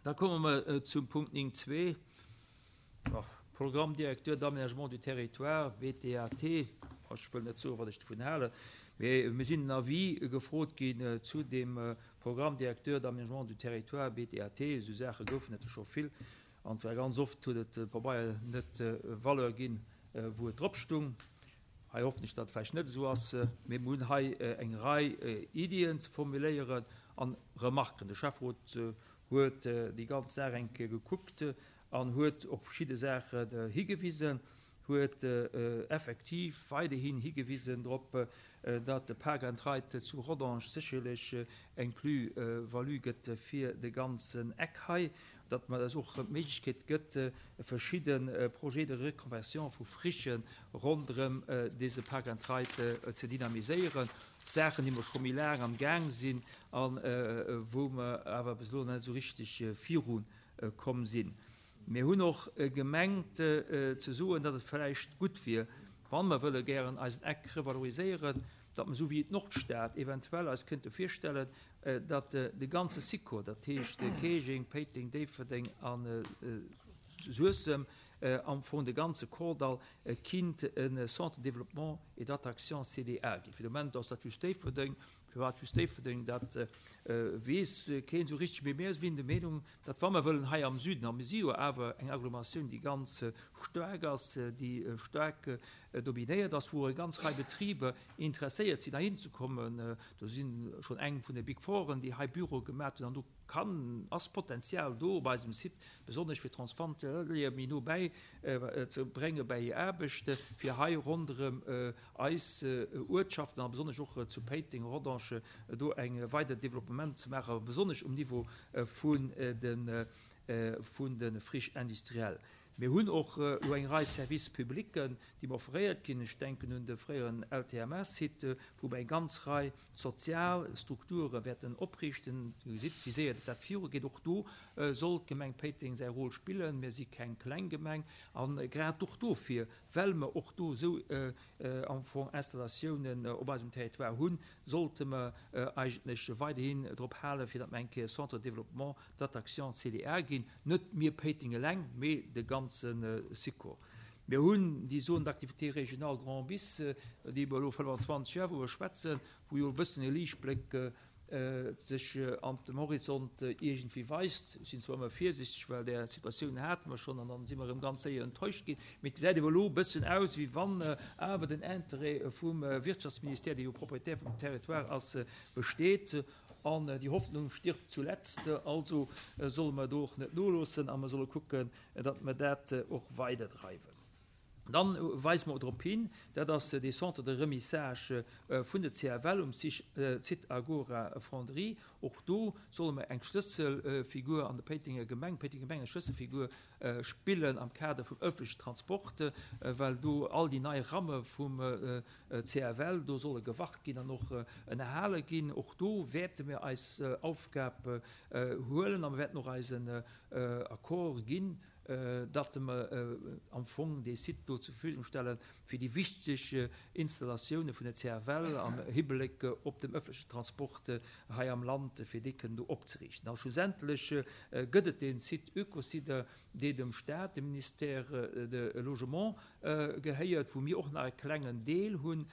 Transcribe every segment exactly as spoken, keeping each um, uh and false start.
Da komme mer zum Punkt néng zwee, Programme directeur d'aménagement du territoire, B T A T. Ech wëll net soen, wat ech dovun halen, mee mir sinn en Avis gefrot ginn zu dem Programme directeur d'aménagement du territoire, B T A T. Esou Saache goufen et jo scho vill, an zwar ganz oft huet et de Pabeier net Valeur ginn, wou et drop stung. Hei hoffen ech, datt et vläicht net esou ass, mee mir hunn hei eng Rei Iddien ze formuléieren an Remarken. De Schäfferot huet déi ganz Saach eng Kéier gekuckt an huet op verschidde Saachen higewisen, huet effektiv weiderhin higewisen drop, datt de Park and Ride zu Rodange sécherlech eng Plus-value gëtt fir de ganzen Eck hei, datt mer eis och d'Méiglechkeet gëtt, verschidde Projets de reconversion vu Frichen ronderëm dese Park and Ride ze dynamiséieren, Saachen, déi mer scho méi laang am Gaang sinn a wou mer awer bis elo net esou richteg viru komm sinn. Mir hunn och gemengt ze soen, datt et vläicht gutt wier, wa mer wëlle gären eisen Eck revaloriséieren, datt mer esou wéi d'Nordstad eventuell eis kënnte virstellen, datt de ganze Sikor, dat heescht Käerjeng, Péiteng, Déifferdeng a Suessem, am Fong de ganze Kordall kinnt e Centre de développement et d'attraction, C D A, ginn. Fir de Moment ass dat just Déifferdeng. Firwat just Déifferdeng, dat weess keen esou richteg, mee mir sinn der Meenung, datt wa mer wëllen hei am Süden, a mir si jo awer eng Agglomeratioun, déi ganz staark ass, déi staark dominéiert ass, wou eng ganz Rei Betriber interesséiert sinn heihin ze kommen, do si schonn eng vun de Big Fouren, déi hei Büroe gemat hunn, an do kann, ass Potenzial do op eisem Site, besonnesch fir Transfrontalier méi no bäi ze brénge bäi hir Aarbecht, fir hei ronderëm eis Uertschaften a besonnesch och zu Péiteng, Rodange do eng weider Developpement ze maachen, besonnesch um Niveau vun de vun de Friches industrielles. Mir hunn och elo eng Rei Services publics, déi mer offréiert ginn. Ech denken un de fréieren L T M S-Site, wou mer eng ganz Rei sozial Strukture wäerten opriichten. Dir gesitt, wéi séier dat virugeet. Och do soll d'Gemeng Péiteng säi Rôle spillen. Mir si keng kleng Gemeng. A grad och dofir, well mer och do esou am Fong Installatiounen op eisem Territoire hunn, sollte mer eigentlech weiderhin drop halen, fir datt mer eng Kéier Centre de développement d'attraction, C D A, ginn. Net mir Péiteng eleng, mee de ganze Sikor. Mir hunn déi Zone d'activité régionale Grand Bis, déi mer elo fënnfanzwanzeg Joer wou mer schwätzen, wou jo e bëssen e Liichtbléck sech an dem Horizont iergendwéi weist. Ech sinn zwar ëmmer virsichteg, well där Situatioun hate mer schonn an dann si mer erëm ganz séier enttäuscht ginn, mee et gesäit awer elo e bëssen aus, wéi wann awer den Interêt vum Wirtschaftsministère, dee jo Propriétaire vum Territoire ass, besteet. An déi Hoffnung stirbt zuletzt, also solle mer do och net noloossen a mer solle kucken, datt mer dat och weiderdreiwen. Dann weise mer drop hin, dat ass dee Centre de remissage vun der C F L um Site Agora Fonderie. Och do solle mer eng Schlësselfigur an der Péitenger Gemeng, Péitenger Gemeng eng Schlësselfigur spillen am Kader vum ëffentlechen Transport, well do all déi nei Ramme vum C F L do solle gewart ginn an och ënnerhale ginn. Och do wäerte mir eis Aufgab huelen a mir wäerten och eisen Accord ginn, datt mer am Fong dee Site do zur Verfügung stellen, fir déi wichteg Installatioune vun der C F L am Hibléck op dem ëffentlechen Transport hei am Land, fir déi kënnen do opzeriichten. A schlussendlech gëtt et dee Site Eucosider, dee dem Staat, dem Ministère de Logement gehéiert, wou mir och nach e klengen Deel hunn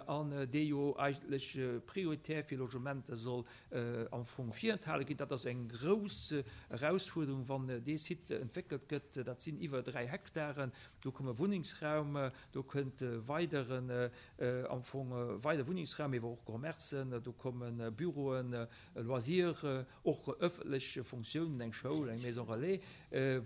an dee jo eigentlech prioritär fir Logementer soll am Fong virenthale ginn. Dat ass eng grouss Erausfuerderung, wann dee Site entwéckelt gëtt. Dat sinn iwwer dräi Hektaren. Do komme Wunnengsraum, do kënnt weideren am Fong weider Wunnengsraum, ewer och Commercen, do komme Büroen, Loisir, och ëffentlech Funktiounen, eng Schoul, eng Maison relais,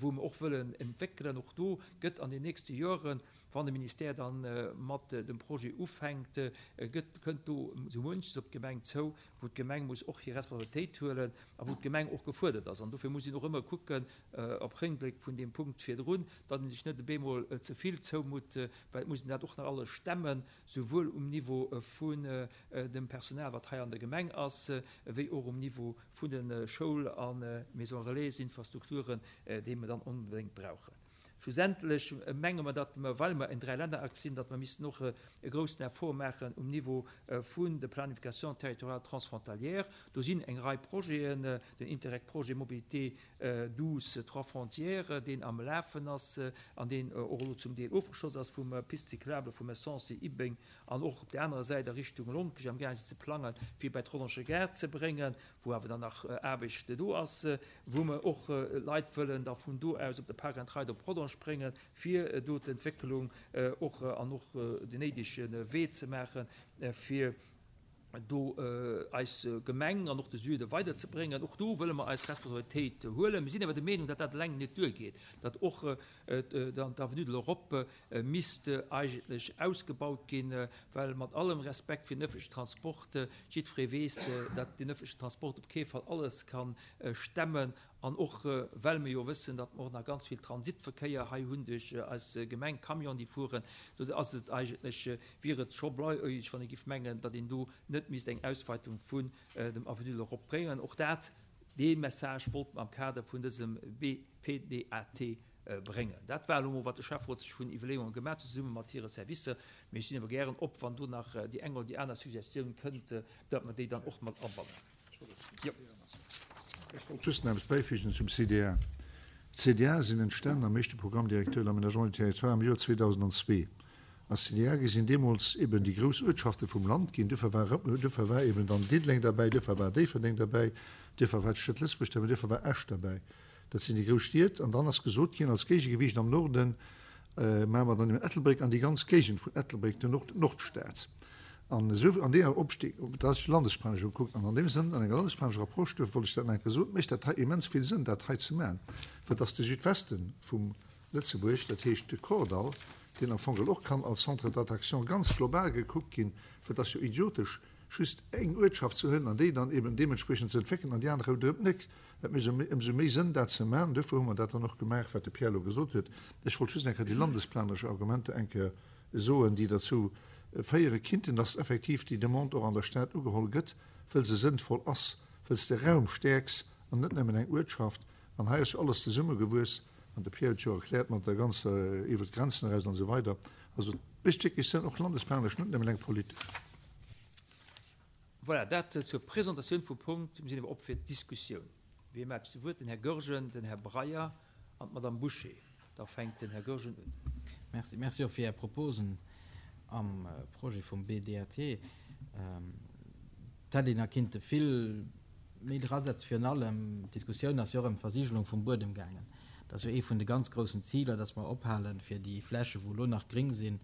wou mer och wëllen entwéckelen. Och do gëtt an den nächste Joren, wann de Ministère dann mat dem Projet ufänkt, gëtt, kënnt do sou munches op d'Gemeng zou, wou d'Gemeng muss och hir Responsabilitéit huelen a wou d'Gemeng och gefuerdert ass. An dofir muss een och ëmmer kucken, op Réckbléck vun deem Punkt virdrun, datt een sech net op eemol ze vill zoumutt, well et muss een dat och nach alles stemmen, souwuel um Niveau vun dem Personal, wat hei an der Gemeng ass, wéi och um Niveau vun de Schoul a Maison relais-Infrastrukturen, déi mer dann onbedéngt brauchen. Schlussendlech menge mer, datt mer, well mer en Dräilännereck sinn, datt mer missten och e groussen Effort maachen um Niveau vun der Planification territoriale transfrontalière. Do sinn eng Rei Projeten, den Interreg-Projet Mobilité douce trois frontières, deen am Lafen ass an deen och elo zum Deel ofgeschloss ass vum Piste cyclable vu Messancy, Ibbeng an och op där anerer Säit a Richtung Lonkech amgaang sinn ze plangen, fir bei d'Rodange Gare ze bréngen, wou awer dann nach Aarbecht do ass, wou mer och Leit wëllen da vun do aus op de Park and Ride op Rodange bréngen, fir do d'Entwécklung och an och den néidege Wee ze maachen, fir do eis Gemeng an och de Süde weiderzebréngen. Och do wëlle mer eis Responsabilitéit huelen. Mir sinn awer der Meenung, datt dat eleng net duergeet, datt och d'Avenue de l'Europe misst eigentlech ausgebaut ginn, well mat allem Respekt fir den öffentlichen Transport, jiddweree weess, datt den öffentlichen Transport op kee Fall alles ka stemmen, an och well mir jo wëssen, datt mer och nach ganz vill Transitverkéier hei hunn duerch eis Gemeng, Camionen, déi fueren, do ass et eigentlech, wier et scho blauäugeg, wann ee giff mengen, datt een do net misst eng Ausweitung vun dem Avenue de l'Europe bréngen. Och dat, dee Message wollte mer am Kader vun dësem B P D A T bréngen. Dat war elo mol, wat de Schäfferot sech vun Iwwerleeunge gemaach huet, zesumme mat hire Servicer. Mee ech sinn awer gären op, wann do nach déi eng oder déi aner Suggestioun kënnt, datt mer déi dann och mat abannen. Jo. Ech wollt just nach eppes bäifügen zum C D A. D C D A sinn entstanen am éischte Programme directeur de l'aménagement du territoire am Joer zweedausendenzwee. Als C D A sinn deemools eben déi grouss Uertschafte vum Land ginn. Duerfir war, duerfir war eben dann Diddeleng derbäi, duerfir war Déifferdeng derbäi, duerfir war d'Stad Lëtzebuerg derbäi, duerfir war Esch derbäi. Dat sinn déi grouss Stied. An dann ass gesot ginn, als Géigegewiicht am Norden maache mer dann eben Ettelbréck an déi ganz Géigend vun Ettelbréck, den Nord, Nordstad. An esou an deeër Opstieg, dat ass landesplanesch ukuckt, an an deem Sënn, an enger landesplanescher Approche, duerfir wollt ech dat nach eng Kéier soen, mécht dat hei immens vill Sënn, dat hei ze maachen, well dass de Südweste vum Lëtzebuerg, dat heescht de Kordall, deen am Fong och kann als Centre d'attraction ganz global gekuckt ginn, well dat ass jo idiotesch, just eng Uertschaft ze huelen an déi dann eben deementspriechend ze entwéckelen an déi aner ronderëm net. Et mécht ëmsou méi Sënn, dat ze maachen. Duerfir hu mer dat dann och gemaach, wat de Pierre elo gesot huet. Ech wollt just eng Kéier déi landesplanesch Argumenter eng Kéier soen, déi derzou féiere kinnten, dass effektiv déi Demande och an der Stad ugeholl gëtt, well se sënnvoll ass, well s de Raum stäerks an net nëmmen eng Uertschaft. An hei ass jo alles zesummegewuess, an de Pierre huet jo erkläert mat der ganzer iwwer d'Grenzen eraus an esou weider. Also et mécht wierklech Sënn, och landesplanesch, net nëmmen eng politesch. Voilà, dat zur Presentatioun vum Punkt. Mir sinn awer op fir d'Diskussioun. Wie mellt sech zu Wuert? Den Här Goergen, den Här Breyer an d'Madame Bouché. Da fänkt den Här Goergen un. Merci. Merci och fir Är Proposen am Projet vum B D A T. Et hätt een nach kinnte vill méi drasetzen. Virun allem, d'Diskussioun ass jo och ëm d'Versigelung vum Buedem gaangen. Dat ass jo ee vun de ganz groussen Ziler, dass mer ophalen, fir déi Flächen, wou elo nach gréng sinn,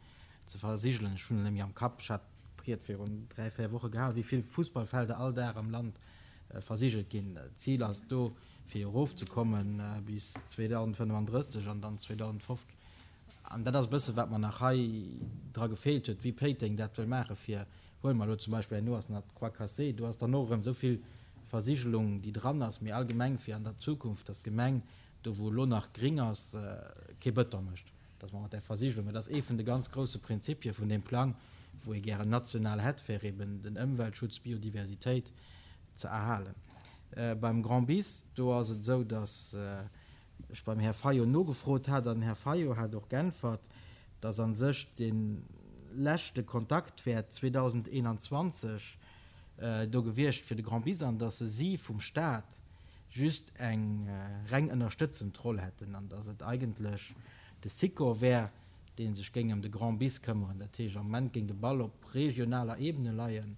ze versigelen. Ech hunn et net méi am Kapp, ech hat d'Ried virun dräi, véier Woche gehalen, wéi vill Fussballfelder all Dag am Land versigelt ginn. D'Zil ass do, fir erofzekomme bis zweedausendfënnefandrësseg an dann zweedausendfofzeg. An dat ass e bësse wat mer nach hei dra gefeelt huet, wéi Péiteng dat wëll maache fir, huele mer elo zum Beispill, herno ass nach d'Croix Cassée, do ass dann och erëm esou vill Versigelung, déi dran ass, mee allgemeng fir an der Zukunft, dass d'Gemeng do wou elo nach gring ass, kee Bëton mécht, dass mer mat där Versigelung, dat ass ee vun de ganz grouse Prinzipie vun deem Plang, wou ee gären national hätt, fir eben den Ëmweltschutz, d'Biodiversitéit ze erhalen. Beim Grand Bis, do ass et esou, dass ech beim Här Fayot nogefrot hat an den Här Fayot hat och geäntwert, dass a sech dee leschte Kontakt wär zweedausendeenanzwanzeg do gewiescht fir de Grand Bis an dass si vum Stat just eng reng ënnerstëtzend Roll hätten an dass et eigentlech de Sikor wär, dee sech géing ëm de Grand Bis këmmeren. Dat heescht, am Moment géing de Ball op regionaler Ebene leien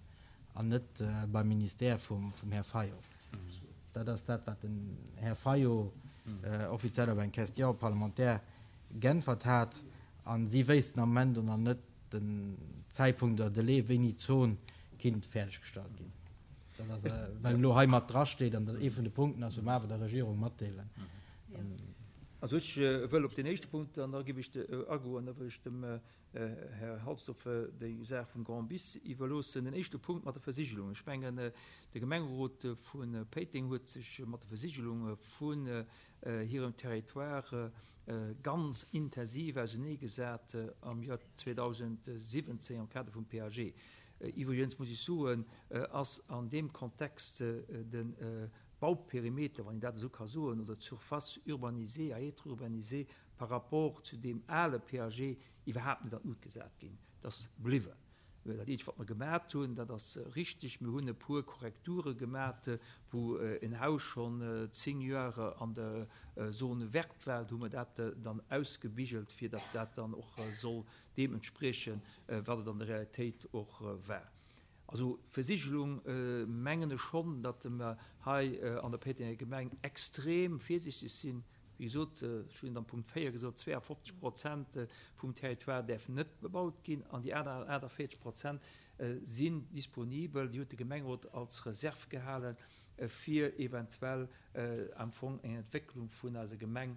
an net beim Ministère vum Här Fayot. Dat ass dat, wat den Här Fayot offiziell op eng Question parlementaire geäntwert hat. A si wéissten am Moment och nach net den Zäitpunkt oder Delai, wéini d'Zon kinnt fäerdeggestallt ginn. Dat ass, well elo hei mat drasteet an dat ee vun de Punkten ass, wou mer awer der Regierung matdeelen. Also ech wëll op deen éischte Punkt, an da géif ech agoen, da wëll ech dem Här Halsdorf déi Saach vum Grand Bis iwwerloossen. Den éischte Punkt mat der Versigelung. Ech mengen, de Gemengerot vu Péiteng huet sech mat der Versigelung vun hirem Territoire ganz intensiv auseneegesat am Joer zweedausendsiwwenzéng am Kader vum P A G. Iwwregens muss ech soen, ass an deem Kontext de Bauperimeter, wann een dat esou ka soen, oder d'Surface urbanisée à être urbanisée par rapport zu deem ale P A G iwwerhaapt net an d'Lut gesat ginn. Dat ass bliwwen. Dat eenzegt, wat mer gemat hunn, dat ass richteg, mir hunn e puer Korrekture gemat, wou en Haus schonn zéng Joer an der Zone verte war, do hu mer dat dann ausgebigelt, fir datt dat dann och soll deem entspriechen, wat et an der Realitéit och war. Also Versigelung, mengen ech schonn, datt mer hei an der Péitenger Gemeng extrem virsichteg sinn. Wéi gesot, ech hunn et am Punkt véier gesot, zweeafofzeg Prozent vum Territoire däerfen net bebaut ginn an déi aner aachtavéierzeg Prozent sinn disponibel. Déi huet de Gemengerot als Reserv gehalen, fir eventuell am Fong eng Entwécklung vun eiser Gemeng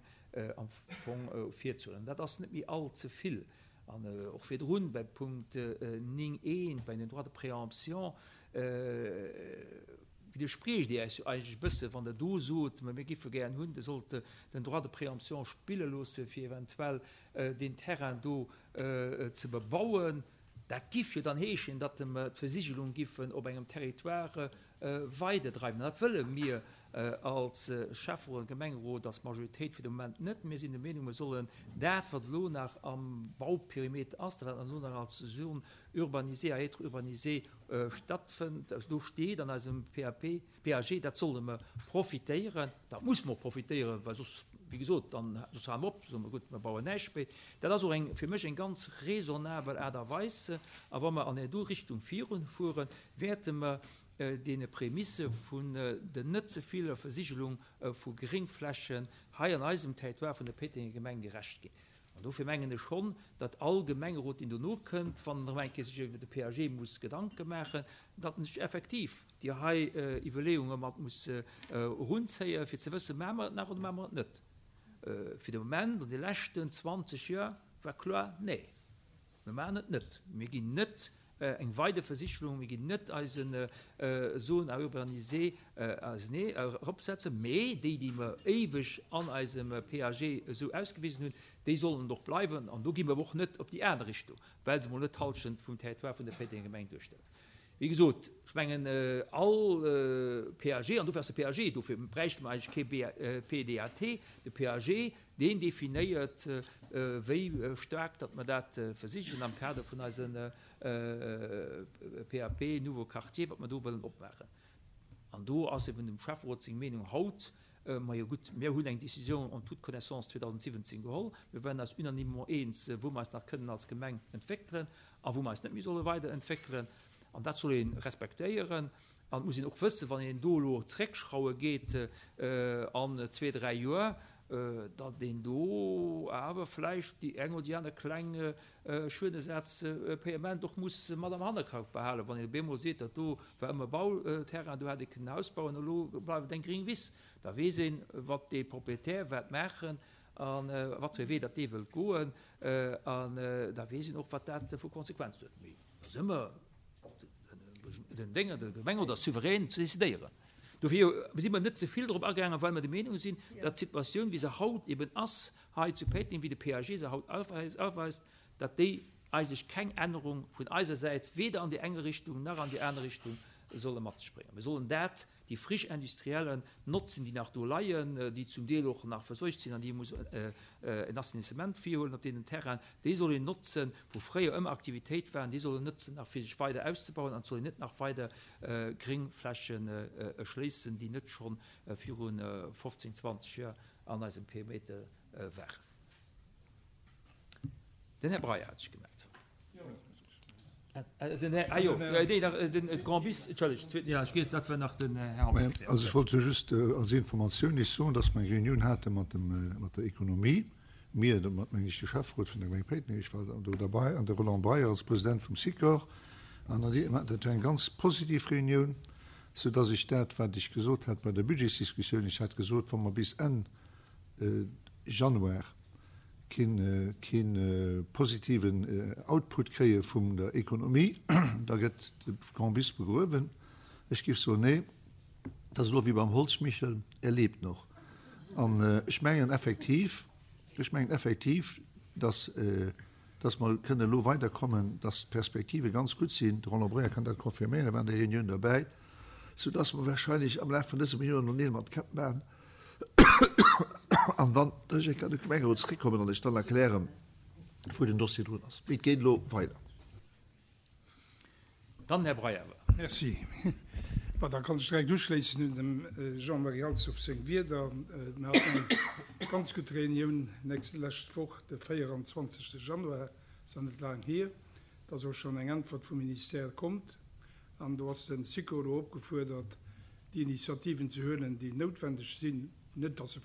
am Fong virzehuelen. Dat ass net méi all ze vill. An och virdrun bei Punkt néng eent, bei den Droits de préemption, widderspriecht Dir Iech jo eigentlech e bësse wann Der do sot, mä mir giffe gären hunn, Der sollt den Droit de préemption spille loosse fir eventuell deen Terrain do ze bebauen. Dat giff jo dann heeschen, datt mer d'Versigelung giffen op engem Territoire weiderdreiwen. An dat wëlle mir als Schäfferot an Gemengerot, als Majoritéit fir de Moment net. Mir sinn der Meenung, mir sollen dat, wat elo nach am Bauperimeter ass, dat wat elo nach als Zone urbanisée à être urbanisée stattfënnt, do steet an eisem P A P, P A G, dat solle mer profitéieren. Dat muss mer och profitéieren, well soss, wéi gesot, dann soss hale mer op, soe mer, gutt, mer bauen näischt méi. Dat ass och eng, fir mech eng ganz raisonnabel Aart a Weis. A wa mer an déi do Richtung virunfueren, wäerte mer deene Prämisse vun der net ze viller Versigelung vu Gréngflächen hei an eisem Territoire vun der Péitenger Gemeng gerecht ginn. An dofir mengen ech schonn, datt all Gemengerot, deen dono kënnt, wann en erëm eng Kéier sech iwwer de P A G muss Gedanke maachen, datt en sech effektiv déi hei Iwwerleeunge mat muss erunzéien, fir ze wëssen, Maache mer et nach oder maache mer et net? Fir de Moment, an de leschten zwanzeg Joer, war kloer, Nee, mir maachen et net. Mir ginn net eng weider Versigelung, mir ginn net eise Zone à urbaniser ausenee eropsetzen, mee déi, déi mer éiweg an eisem P A G esou ausgewisen hunn, déi sollen och bleiwen. An do gi mer och net op déi aner Richtung, well se mol net d'Hallschent vum Territoire vun der Péitenger Gemeng duerstellen. Wéi gesot, ech mengen, all P A G, an dofir ass de P A G, dofir bräichte mer eigentlech kee P D A T, de P A G, deen definéiert, wéi staark datt mer dat versichen am Kader vun eise P A P Nouveau Quartier, wat mer do wëllen opmaachen. An do ass eben dem Schäfferot seng Meenung haut, majo gutt, mir hunn eng Décision en toute connaissance zweedausendsiwwenzéng geholl, mir waren eis unanimement eens, wou mer eis nach kënnen als Gemeng entwéckelen a wou mer eis net méi solle weiderentwéckelen. An dat soll ee respektéieren. An et muss een och wëssen, wann een do elo zréckschrauwe geet an zwee, dräi Joer, datt een do awer vläicht déi eng oder déi aner kleng Schuedenersazpayement och muss mat am Hannerkapp behalen, wann een op eemol seet, dat do war ëmmer Bauterrain, do hätt ee kënnen e Haus bauen, elo bleift et eng gréng Wiss. Da weess een, wat dee Proprietär wäert maachen a wat fir e Wee datt dee wëllt goen. An da weess een och, wat dat vu Konsequenzen huet. Mee da si mer den Dénger, de Gemengerot ass souverän ze decidéieren. Dofir si mer net ze vill drop agaangen, well mer der Meenung sinn, datt d'Situatioun, wéi se haut eben ass hei zu Péiteng, wéi de P A G se haut aweist, datt déi eigentlech keng Ännerung vun eiser Säit weder an déi eng Richtung nach an déi aner Richtung solle mat sech bréngen. Mir sollen dat, déi Friche industrielle notzen, déi nach do leien, déi zum Deel och nach verseucht sinn an déi ee muss en Assainissement virhuelen op deenen Terrainen, déi soll een notzen, wou fréier ëmmer Aktivitéit waren, déi soll een notzen nach fir sech weider auszebauen an et soll een net nach weider Gréngflächen erschléissen, déi net scho viru fofzéng, zwanzeg Joer an eisem Perimeter waren. Den Här Breyer hat sech gemellt. Den Här, ah jo, nee, nach den Grand Bis, entschëllegt, zweeten, ja, ech geet, dat war nach den Här Hansen. Also ech wollt jo just als Informatioun lech soen, dass mer eng Reunioun hate mat dem, mat der Ekonomie, mir, domat mengen ech de Schäfferot vun der Gemeng Péiteng, ech war do derbei, an de Roland Breyer als President vum Sikor, an dat war eng ganz positiv Reunioun, soudass ech dat, wat ech gesot hat bei der Budgetsdiskussioun, ech hat gesot, wa mer bis Enn Januar keen, keen positiven Output kréie vum der Ekonomie, da gëtt de Grand Bis begruewen. Ech géif soen, nee, dat ass elo wéi beim Holzmichel, er lebt noch. An ech mengen effektiv, ech mengen effektiv, dass, dass mer kënnen elo weiderkommen, dass d'Perspektive ganz gutt sinn. De Roland Breyer kann dat confirméieren, e war an der Reunioun derbäi. Soudass mer wahrscheinlech am Laf vun dësem Joer nach Neel mat Käpp maachen an dann dass ech an de Gemengerot zeréckkommen an lech dann erklären, wou den Dossier drun ass. Mee et geet elo weider. Dann Här Breyer. Merci. Bon, da kann ech direkt uschléissen un dem Jean-Marie Halsdorf seng Wierder. Mir haten eng ganz gutt Reunioun lescht Woch, de véieranzwanzegste Januar, ass nach net laang hier. Et ass och schonn eng Äntwert vum Ministère kommt an do ass de SICO elo opgefuerdert, déi Initiativen ze huelen, déi noutwendeg sinn, net datt se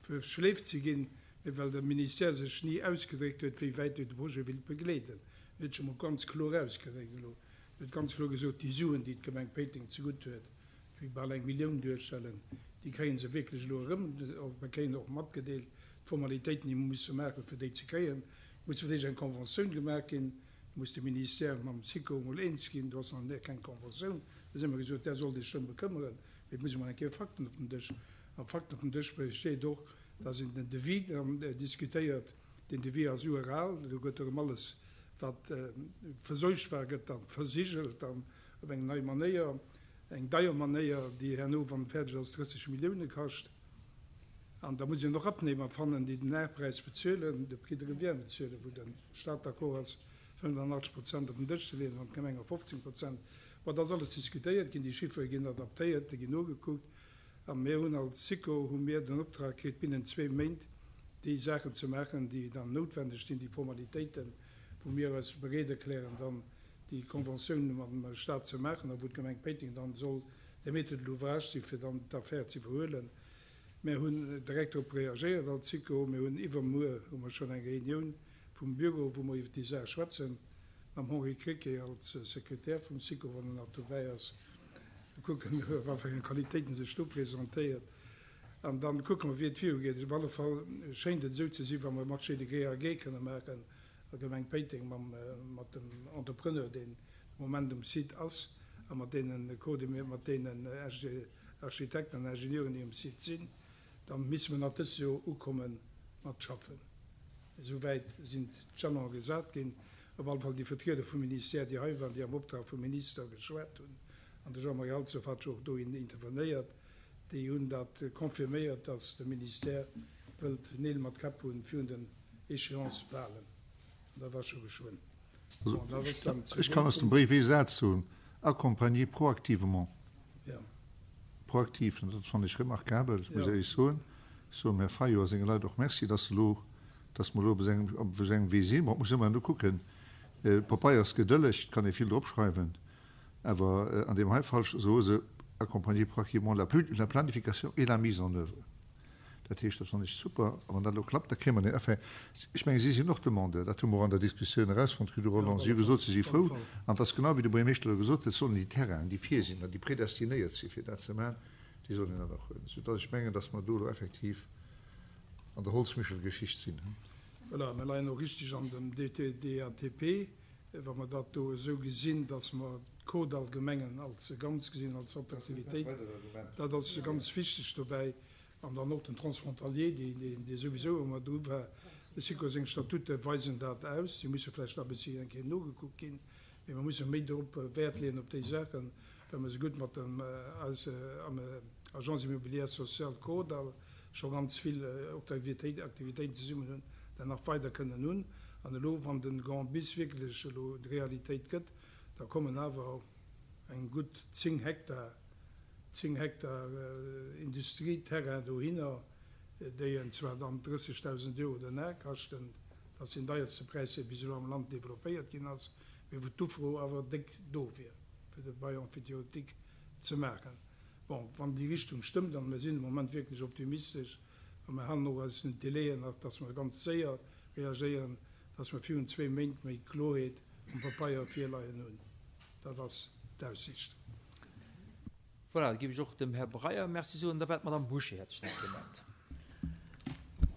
verschleeft si ginn, mee well de Ministère sech ni ausgedréckt huet, wéi wäit e de Projet wéilt begleeden. En huet sech emol ganz kloer ausgedréckt elo. En huet ganz kloer gesot, déi Suen, déi d'Gemeng Péiteng zegutt huet, déi bal eng Millioun duerstellen, déi kréie se wierklech elo erëm. Mer kréien och matgedeelt, d'Formalitéiten, déi mer musse maachen, fir déi ze kréien. Et muss fir d'éischt eng Conventioun gemaach ginn. Do muss de Ministère mam SICO emol eens ginn. Do ass nach keng Conventioun. Da si mer gesot, där sollt Iech drëm bekëmmeren. Mee et muss emol eng Kéier Fakten op den Dësch. A Fakten op den Dësch besteet och, dass een den Devis dann diskutéiert. Deen Devis ass ural. Do gëtt erëm alles, wat verseucht war, gëtt da versigelt dann op eng nei Manéier, eng deier Manéier, déi herno, wann et fäerdeg ass, drësseg Millioune kascht. An da muss een och Abnehmer fannen, déi den Aarpräis bezuelen, de Prix de revient bezuelen, wou de Stat d'accord ass, fënnefenachtzeg Prozent op den Dësch ze leeën an d'Gemenge fofzéng Prozent. Bon, dat ass alles diskutéiert ginn, déi Chiffere ginn adaptéiert, déi ginn nogekuckt. A mir hunn als SICO hu mir den Optrag kritt, binnen zwee Méint déi Saachen ze maachen, déi dann noutwendeg sinn, déi Formalitéiten, wou mir eis bereet erklären, dann déi Conventioun mam Stat ze maachen a wou d'Gemeng Péiteng dann soll de Maître de l'ouvrage si fir dann d'Affär ze iwwerhuelen. Mir hunn direkt drop reagéiert als SICO. Mir hunn iwwermuer hu mer schonn eng Reunioun vum Büro, wou mer iwwer déi Saach schwätzen, mam Henri Krecké als Sekretär vum SICO, wann en nach dobäi ass. Mir kucken, a wat fir enge Qualitéiten e sech do presentéiert. An da kucke mer, wéi et virugeet. Op alle Fall schéint et esou ze sinn, wa mer e Marché de gré à gré kënne maachen a Gemeng Péiteng mam, mat dem Entrepreneur, deen de Moment um Site ass, a mat deene mat deenen Architekten an Ingenieuren, déi um Site sinn, da misse mer nach dëst Joer ukomme mat schaffen. Esou wäit sinn d'Jalone gesat ginn. Op alle Fall déi Vertrieder vum Ministère, déi hei waren, déi am Optrag vum Minister geschwat hunn, an de Jean-Marie Halsdorf hat jo och do intervenéiert, déi hunn dat confirméiert, datt de Ministère wëllt Neel mat Käpp hunn virun den Échéancë-Wahlen. An dat ass scho geschwënn. Also, ech kann aus dem Bréif ee Saz soen, Accompagner proactivement. Proaktiv, an dat fannen ech remarkabel, ech muss éierlech soen. Ech soen dem Här Fayot a senge Leit och Merci, dass se elo, dass mer elo op esou engem, op esou engem Wee sinn. Bon, et muss ëmmer elo kucken, Pabeier ass gedëlleg, et kann ee vill drop schreiwen, awer an deem hei Fall soe se, accompagner proactivement la la planification et la mise en œuvre. Dat heescht, dat fannen ech super, a wann dat elo klappt, da kréie mer den Effet. Ech mengen, si sinn och Demandeur, dat hu mer och an der Diskussioun erausfonnt kritt, de Roland. Si hu gesot, si si frou, an et ass genau wéi de Buergermeeschter elo gesot huet, sollen déi Terrainen, déi vir sinn an déi predestinéiert si fir dat ze maachen, déi sollen dat och huelen. Soudass ech mengen, dass mer do elo effektiv an der Holzmichel-Geschicht sinn. Voilà, mir leien och richtig an dem D T D A T P, wa mer dat do esou gesinn, dass mer d'Kordall-Gemengen als e Ganz gesinn, als Attraktivitéit. Dat ass ganz wichteg dobäi. An dann och den Transfrontalier, dee souwisou ëmmer dru war. De SICO seng Statute weisen dat aus. Si musse vläicht nach e bëssi eng Kéier nogekuckt ginn, mee mer musse méi drop Wäert leeën op déi Saachen, well mer esou gutt mat dem Agence immobilière sociale Kordall scho ganz vill Aktivitéiten zesummen hunn, dat nach weider kënnen hunn. An elo, wann de Grand Bis wierklech elo Realitéit gëtt, da kommen awer eng gutt zéng Hektar, zéng Hektar Industrieterrain dohinner, déi en zwar dann drëssegdausend Euro den Ar kaschten, dat ass deen deierste Präis, dee bis elo am Land developpéiert ginn ass, mee wou d'Ufro awer déck do wier, fir de Bail emphytéotique ze maachen. Bon, wann déi Richtung stëmmt, an mir sinn de Moment wierklech optimistesch, a mir halen och eis un d'Délaien nach, dass mer ganz séier reagéieren, dass mer virun zwee Méint méi Kloerheet um Papeier virleien hunn. Dat ass d'Aussicht. Voilà, da géif ech och dem Här Breyer Merci soen. Da war d'Madame Bouché hätt sech nach gemellt.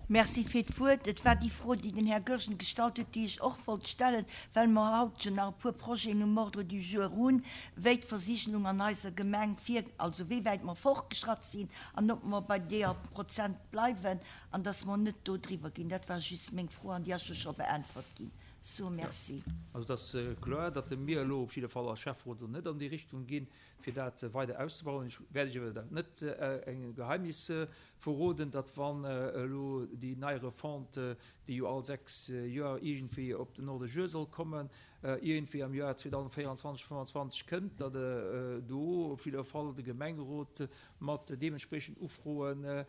Merci fir d'Wuert. Et war déi Fro, déi den Här Goergen gestallt huet, déi ech och wollt stellen, well mer haut jo nach e puer Projeten um Ordre du jour hunn, wéi d'Versigelung an eiser Gemeng vir, also wéi wäit mer fortgeschratt sinn an ob mer bei deeër Prozent bleiwen an dass mer net do driwwer ginn. Dat war just meng Fro an déi ass jo scho beäntwert ginn. soe Merci. Also et ass kloer, datt mir elo op jidde Fall als Schäfferot elo net an déi Richtung ginn, fir dat weider auszebauen. Ech wäert Iech awer net e Geheimnis verroden, datt wann elo déi nei Refonte, déi jo all sechs Joer iergendwéi op den Ordre du jour soll kommen, iergendwéi am Joer zweedausendvéierundzwanzeg, fënnwandzwanzeg kënnt, datt do op jidder Fall de Gemengerot mat deementspreechenden Ufroe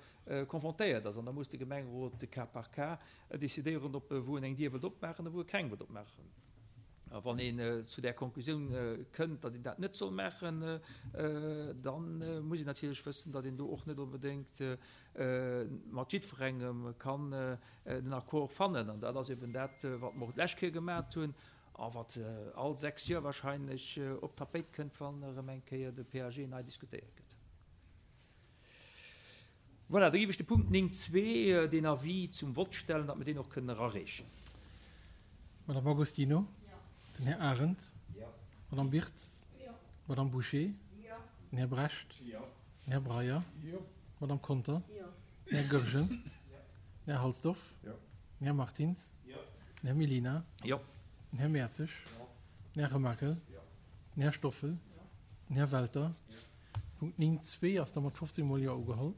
confrontéiert ass. An da muss de Gemengerot cas par cas decidéieren, ob wou en eng Dier wëllt opmaachen a wou e keng wëllt opmaachen. A wann een zu där Konklusioun kënnt, datt een dat net soll maachen, da muss een natierlech wëssen, datt een do och net onbedéngt mat jiddwerengem kann den Accord fannen. An dat ass eben dat, wat mer och d'lescht Kéier gemat hunn a wat all sechs Joer wahrscheinlech op d'Tapéit kënnt, wann erëm eng Kéier de P A G nei diskutéiert gëtt. Voilà, da géif ech de Punkt néng zwee, deen Avis zum Vott stellen, datt mer deen och kënnen erareechen. Madame Agostino? Den Här Arendt? Madame Birtz? Madame Bouché? Den Här Brecht? Den Här Breyer? Madame Conter? Den Här Goergen? Den Här Halsdorf? Den Här Martins? Den Här Mellina? Den Här Mertzig? Den Här Remakel? Den Här Stoffel? Den Här Welter? Punkt néng zwee ass da mat fofzéng Mol Jo ugeholl.